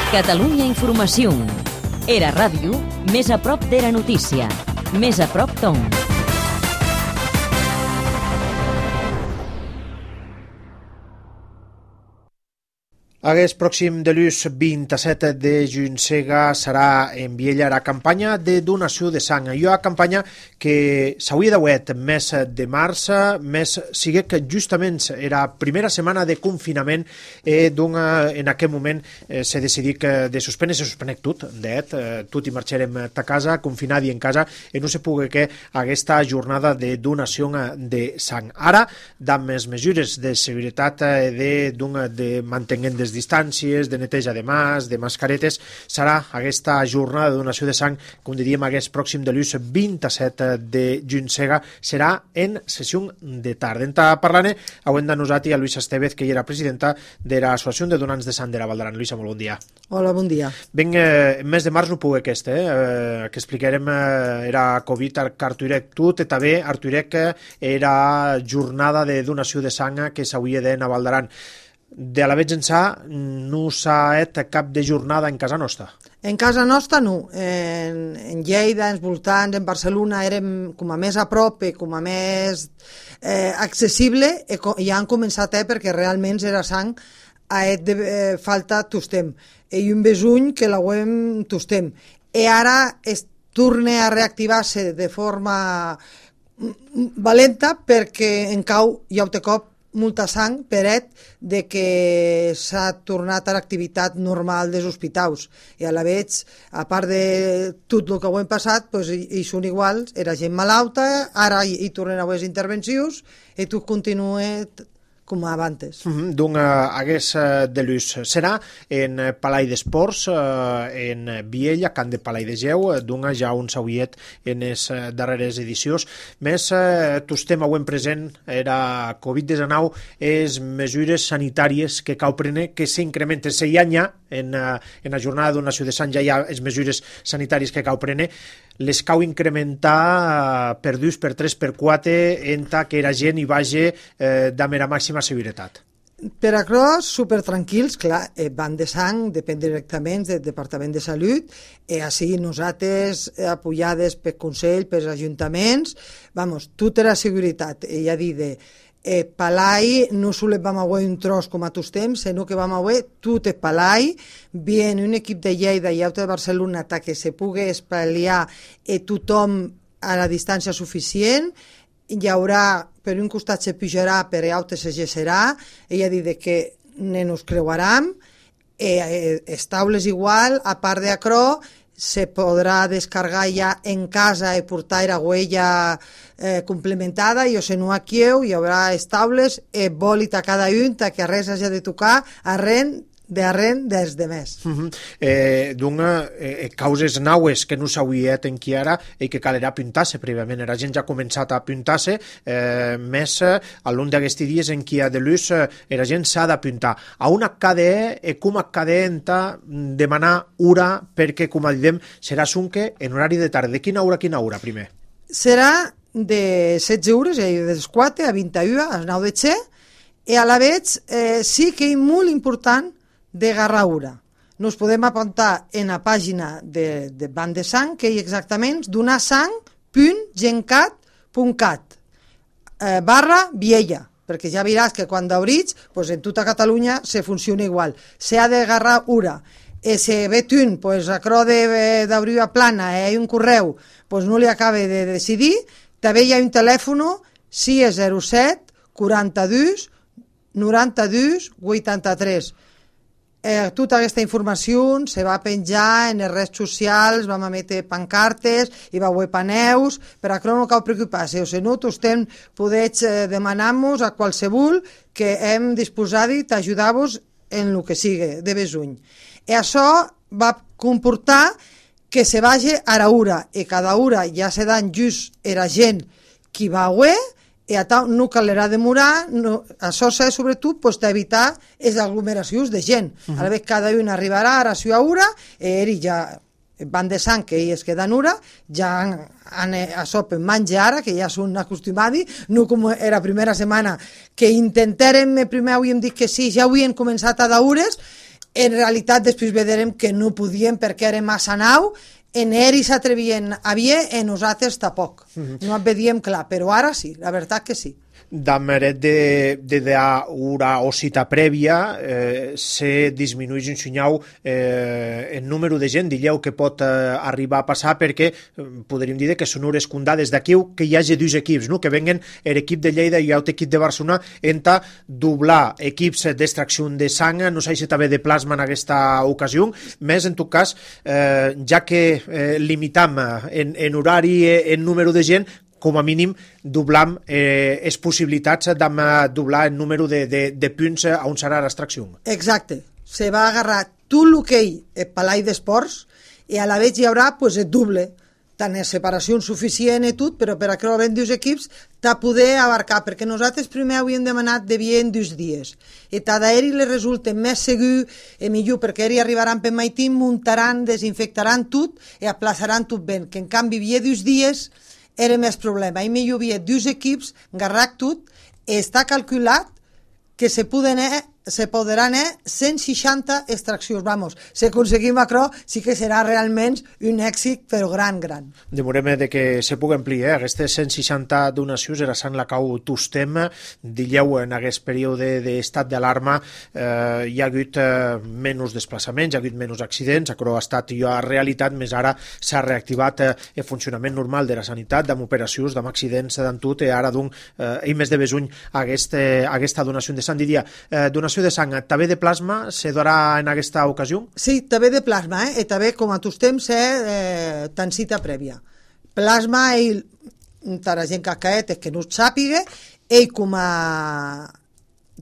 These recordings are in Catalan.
Catalunya Informació. Era ràdio, més a prop d'Era Notícia. Més a prop d'on. Aquest pròxim dilluns 27 de juny serà en Viella la campanya de donació de sang. Hi ha una campanya que s'hauria d'haver mes de març, més sigui que justament era la primera setmana de confinament en aquest moment s'ha decidit de suspendre, se suspenec tot, tot i marxarem a casa, confinat i en casa, i no se pugui que aquesta jornada de donació de sang. Ara, amb les mesures de seguretat de mantenint des distàncies, de neteja de mans, de mascaretes, serà aquesta jornada de donació de sang, com diríem, aquest pròxim dilluns 27 de juny serà en sessió de tarda. En parlant, avui de nosaltres a Luisa Estevez, que era presidenta de l'Associació de Donants de Sang de la Val d'Aran. Luisa, molt bon dia. Hola, bon dia. Ben, en mes de març no puc que explicarem era Covid a Arturec tot, i també Arturec era jornada de donació de sang que s'hauria d'anar a Val d'Aran. De la veig ençà no s'ha fet cap de jornada en casa nostra. En casa nostra no. En Lleida, en voltants, en Barcelona érem com a més a prop i com a més accessible i ja han començat perquè realment era sang a de falta tostem. I un besuny que la web tostem. I ara es torna a reactivar-se de forma valenta perquè en cau hi ha un cop molta sang peret de que s'ha tornat a l'activitat normal dels hospitals i a la veig, a part de tot el que ho hem passat, hi són iguals, era gent malalta, ara hi tornen a haver intervencions i tot continua com abans. Donc, aquest dilluns serà en Palai d'Esports, en Viella, Camp de Palai de Geu, donc ja un sauiet en les darreres edicions. Més, tostem avui present era Covid-19, les mesures sanitàries que cal prendre, que s'incrementen, hi ha en la jornada de donació de sang, ja hi ha les mesures sanitàries que cal prendre, les cau incrementar per 2, per 3, per 4, enta que la gent hi vagi de la màxima seguretat. Per això, supertranquils, clar, van de sang, depèn directament del Departament de Salut, així nosaltres, apoyades per Consell, per ajuntaments, tot era seguretat. Ja dit, Palai no sols vam haver un tros com a tostem, sinó que vam haver tot el Palai, bien un equip de Lleida i altre de Barcelona que se pugui espaliar tothom a la distància suficient. Hi haurà, per un costat se pujarà, per l'altre se gesserà, ella dit que ne nos creuaram, les taules igual, a part d'acrò, se podrà descarregar ja en casa i portar la huella complementada, i o si no aquí hi haurà les taules, bòlit a cada un, que res hagi de tocar arren des de més. Causes naues que no s'hauria en qui ara i que calerà pintar-se prèviament. La gent ja ha començat a pintar-se, més a l'un d'aquests dies en qui a de l'ús la gent s'ha de pintar. A una KDE, com a KDE demanar hora, perquè, com diem, serà sunque en horari de tarda. De quina hora primer? Serà de 16 hores, de les 4 a 21, a les 9 de xe, i a la vez sí que és molt important de garraura. Nos podem apuntar en la pàgina de Banc de Sang, que és exactament donasang.gencat.cat /Viella, perquè ja veuràs que quan d'obrits, en tota Catalunya se funciona igual. Se ha de garrar ura. Se ve un, acrò d'obrir a plana, un correu, no li acaba de decidir, també hi ha un telèfon 607 42 92 83. Tota aquesta informació se va penjar en les redes socials, vam emetre pancartes, hi va haver paneus, per això no cal preocupar-se, o si no, podeu demanar-nos a qualsevol que hem disposat d'ajudar-vos en el que sigui de besuny. I això va comportar que se vagi a l'hora, i cada hora ja se dan just la gent qui va haver, i no calerà demorar, això és sobretot per evitar les aglomeracions de gent. A la vegada cada un arribarà a la seva hora i ja van de sang que ells queden ura, ja a sopen menjar ara, que ja són acostumats, no com era primera setmana, que intentàrem, primer havíem dit que sí, ja havien començat a daures, en realitat després veurem que no podíem perquè era massa nau, en ells s'atrevien a vier, en nosaltres tampoc. No et vedíem clar, però ara sí, la veritat que sí. Dameret de una cita prèvia se disminueix un xunyau el número de gent, dilleu, que pot arribar a passar, perquè podríem dir que són hores condades d'aquí que hi hagi dos equips, no? Que venguen l'equip de Lleida i l'equip de Barcelona enta doblar equips d'extracció de sang, no sé si també de plasma en aquesta ocasió, més en tot cas, ja que limitam en horari en número de gent, com a mínim doblam les possibilitats de doblar el número de punts on serà l'extracció. Exacte. Se va agarrar tot l'hoquei el palai d'esports i a la vegada hi haurà el doble, tant en separació suficient i tot, però per a que havent dos equips t'ha poder abarcar, perquè nosaltres primer havíem demanat de vier en 2 dies i tant d'aeri li resulta més segur i millor, perquè ells arribaran per Maití, muntaran, desinfectaran tot i aplaçaran tot ben, que en canvi vier 2 dies era més problema. I millor havia 2 equips, garrac tot, i està calculat que se podran 160 extraccions. Vamos, si aconseguim això, sí que serà realment un èxit, però gran. Demorem de que se pugui ampliar. Aquestes 160 donacions era sant la cau tostem. Dilleu, en aquest període d'estat d'alarma hi ha hagut menys desplaçaments, hi ha hagut menys accidents, això ha estat ja realitat, més ara s'ha reactivat el funcionament normal de la sanitat, amb operacions, amb accidents, d'en tot, i ara, i més de besuny, aquesta donació de sang. Diria, donació de sang, també de plasma, se donarà en aquesta ocasió? Sí, també de plasma, i també, com a tostem, tant cita prèvia. Plasma, la gent que ha caet, que no ho sàpiga, ell com a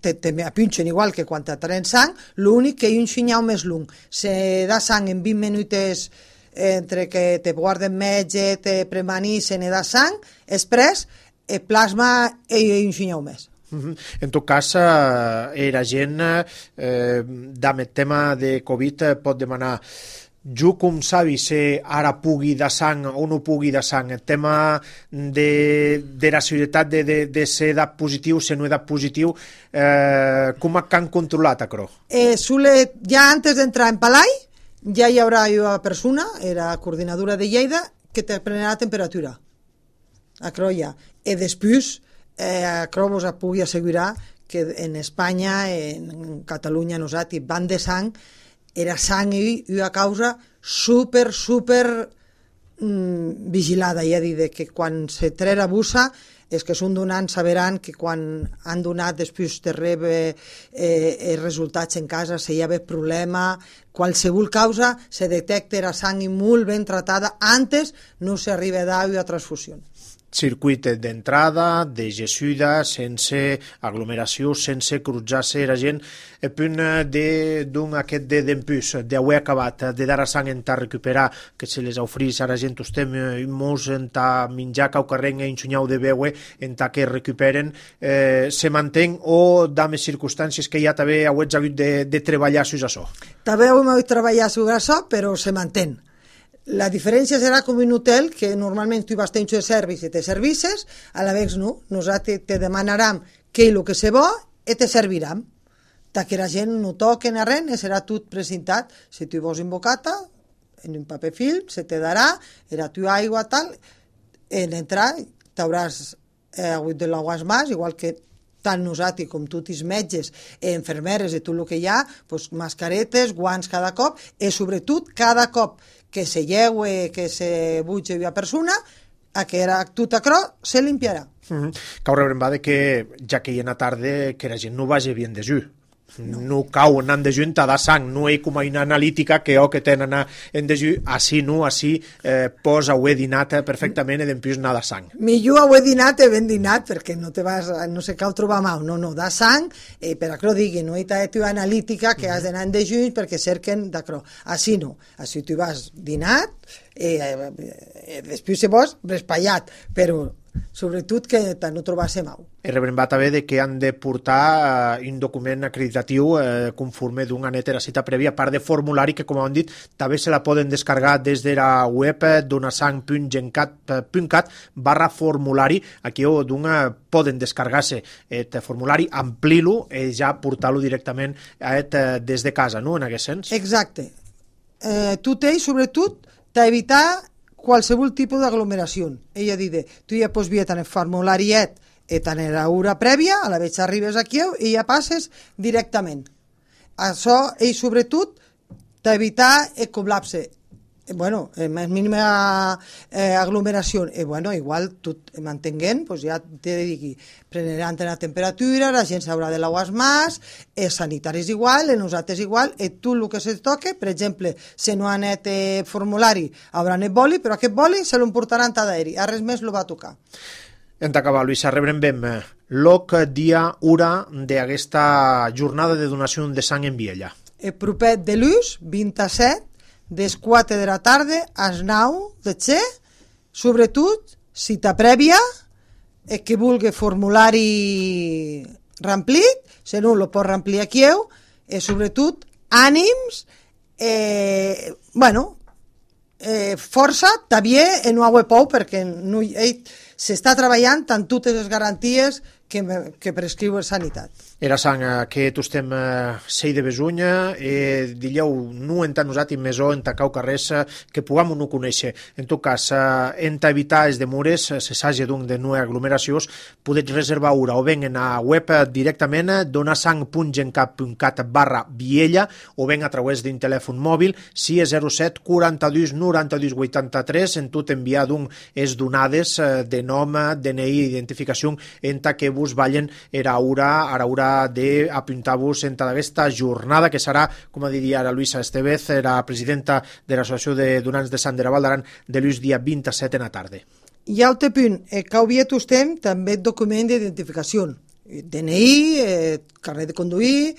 te apinxen igual que quan tenen sang, l'únic que hi ha un xinyau més lung. Se da sang en 20 minuts entre que te guarden metge, te premani, se ne da sang, després, el plasma hi ha un xinyau més. En tot cas, la gent amb el tema de Covid pot demanar jo com sabi si ara pugui de sang o no pugui de sang, el tema de la seguretat de ser edat positiu, ser no edat positiu, com han controlat això? Ja antes d'entrar en Palai ja hi haurà una persona, la coordinadora de Lleida, que te prenarà la temperatura. Això ja. I després això vos pugui assegurar que en Espanya, en Catalunya, nosaltres, van de sang, era sang i una causa super vigilada, ja dir, que quan se trera bussa, els que són donants sabran que quan han donat després de rebre els resultats en casa, si hi ha problema, qualsevol causa, se detecta la sang molt ben tratada, antes no s'arriba a una transfusió. Circuit d'entrada, de gessuda, sense aglomeració, sense cruzar-se la gent, el punt d'un aquest d'empús, d'haver acabat, de dar a sang en ta recuperar, que se les ofrís a la gent, estem molts en ta menjar cau carreng i enxunyau de veure, en ta que recuperen, se mantén o dames circumstàncies que ja també heu hagut de treballar sobre això? També heu hagut de treballar sobre això, però se mantén. La diferència serà com un hotel, que normalment tu vas tenir un servici i te services, a la vegada no, nosaltres te demanarem què és el que se vol i te servirem. Que la gent no toquen a res, serà tot presentat. Si tu vols un bocata, en un paper film, se te darà, era tu aigua, tal, en entrar t'hauràs hagut de l'aguas més, igual que tant nosaltres com tots els metges, infermeres i tot el que hi ha, mascaretes, guants cada cop, i sobretot cada cop que se lleue, que se butge una persona, tot això se limpiarà. Cau rebrembar que, ja que hi ha una tarda, que la gent no vagi bien de jus. No cau anant de junt a dar sang, no hi com una analítica que tenen en de jus, així no, així posa ho he dinat perfectament i després anar de sang. Millor ho he dinat i ben dinat, perquè no te vas, no se cal trobar mal, no, da sang, per això digui, no hi ha una analítica que has d'anar en de junt perquè cerquen d'això. Així no, així tu vas dinat, després se vols respallat, però sobretot que no trobasse mau. I rebrembat també de que han de portar un document acreditatiu conforme d'una neta cita prèvia, a part de formulari que, com hem dit, també se la poden descarregar des de la web donasang.gencat.cat/formulari. Aquí poden descarregar-se el formulari, amplir-lo i ja portar-lo directament des de casa, no?, en aquest sens. Exacte. Tu tens, sobretot, d'evitar qualsevol tipus d'aglomeració. Ella dit, tu ja pots veure tant el formulariet tant l'hora prèvia, a la vegada arribes aquí i ja passes directament. Això, i sobretot, d'evitar el col·lapse. Bueno, més mínima aglomeració. Bueno, igual, tot mantenint, ja t'he de dir que prendran la temperatura, la gent s'haurà de lavar més, els sanitaris igual, els nosaltres igual, i tu el que se toque, per exemple, si no ha anat formulari, haurà anat boli, però aquest boli se l'emportaran a d'aeri, a res més lo va tocar. En t'acabar, Luisa, rebrem l'oc dia, hora d'aquesta jornada de donació de sang en Viella. El proper de l'ús, 27, des 4 de la tarda als 9 de xe, sobretot cita prèvia, el que vulgui formulari remplit, si no lo pot remplir aquí, i sobretot ànims, força, també no ho pou, perquè s'està treballant amb totes les garanties que prescriu la sanitat. Era sang que tu estem sei de Besunya dilleu no en tant usat i mesó en tacau carrers que puguem no conèixer. En tot cas, en evitar els demores, se s'hagi d'un de no aglomeracions, podeu reservar hora o ben en la web directament donasang.gencat.cat/Viella o ben a través d'un telèfon mòbil 607 42 92 83 en tot enviar d'un és donades de nom, DNI, identificació en ta que vos ballen era hora d'apuntar-vos en aquesta jornada que serà, com diria la Luisa Estevez, la presidenta de l'Associació de Donants de Sant de la Val d'Aran, de l'ús dia 27 en la tarda. I altre punt, que havia estem també document d'identificació, DNI, carnet de conduir,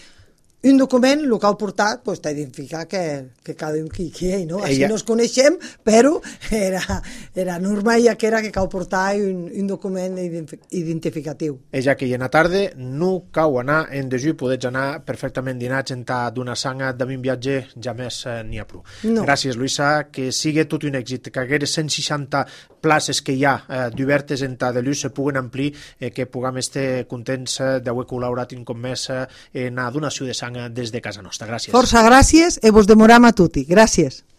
un document, el que heu portat, t'identifica que cada un qui és, no? Així no ens coneixem, però era normal ja que era que heu portat un document identificatiu. Ja que en la tarda no cau anar en dejú, podets anar perfectament dinats en ta d'una sanga de un viatge, ja més n'hi ha prou. No. Gràcies, Luisa, que sigui tot un èxit, que aquestes 160 places que hi ha d'obertes en ta de l'ús se puguen amplir, que puguem estar contents d'haver col·laborat un cop més en la donació de sang des de casa nostra. Gràcies. Força gràcies i vos demoram a tutti. Gràcies.